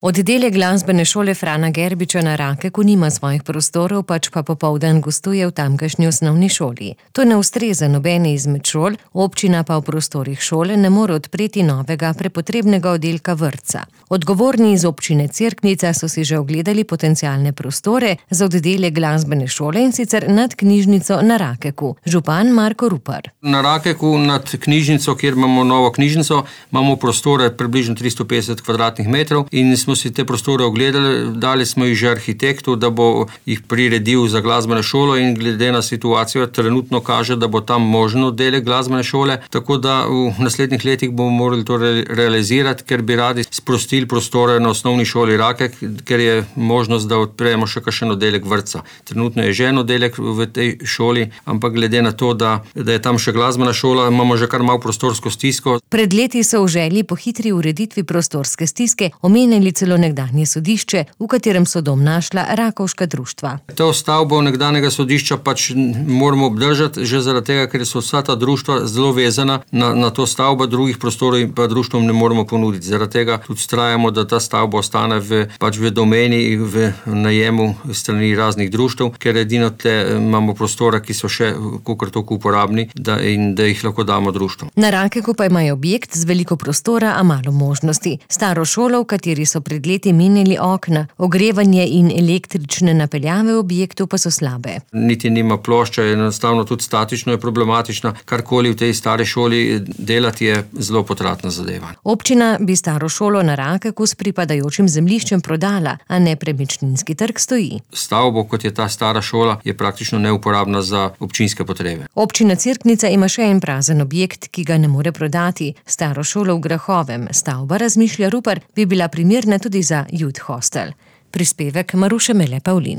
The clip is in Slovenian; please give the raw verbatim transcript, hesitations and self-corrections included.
Oddelek glasbene šole Frana Gerbiča na Rakeku nima svojih prostorov, pač pa popoldan gostuje v tamkajšnji osnovni šoli. To ne ustreza nobeni izmed šol, občina pa v prostorih šole ne more odpreti novega prepotrebnega oddelka vrtca. Odgovorni iz občine Cerknica so si že ogledali potencialne prostore za oddelek glasbene šole, in sicer nad knjižnico na Rakeku. Župan Marko Rupar. Na Rakeku nad knjižnico, kjer imamo novo knjižnico, imamo prostore približno tristo petdeset kvadratnih metrov in smo si te prostore ogledali, dali smo jih že arhitektu, da bo jih priredil za glasbeno šolo, in glede na situacijo trenutno kaže, da bo tam možno oddelek glasbene šole, tako da v naslednjih letih bomo morali to realizirati, ker bi radi sprostili prostore na osnovni šoli Rakek, ker je možnost, da odpremo še kakšen oddelek vrtca. Trenutno je že en oddelek v tej šoli, ampak glede na to, da, da je tam še glasbena šola, imamo že kar malo prostorsko stisko. Pred leti so v želji po hitri ureditvi prostorske stiske omenili celo nekdanje sodišče, v katerem so dom našla rakovška društva. To stavbo nekdanjega sodišča pač moramo obdržati, že zaradi tega, ker so vsa ta društva zelo vezana na, na to stavbo, drugih prostorov pa društvom ne moremo ponuditi. Zaradi tega tudi vztrajamo, da ta stavba ostane v, pač v domeni, v najemu strani raznih društev, ker edino te imamo prostora, ki so še kakor toliko uporabni, da, in da jih lahko damo društvom. Na Rakeku pa imajo objekt z veliko prostora, a malo možnosti. Staro šolo, v kateri so pred leti menjali okna, ogrevanje in električne napeljave v objektu pa so slabe. Niti nima plošča, enostavno tudi statično je problematična. Karkoli v tej stari šoli delati je zelo potratna zadeva. Občina bi staro šolo na Rakeku s pripadajočim zemljiščem prodala, a nepremičninski trg stoji. Stavbo, kot je ta stara šola, je praktično neuporabna za občinske potrebe. Občina Cerknica ima še en prazen objekt, ki ga ne more prodati. Staro šolo v Grahovem. Stavba, razmišlja Rupar, bi bila primerna tudi za youth hostel. Prispevek Maruše Mele Pavlin.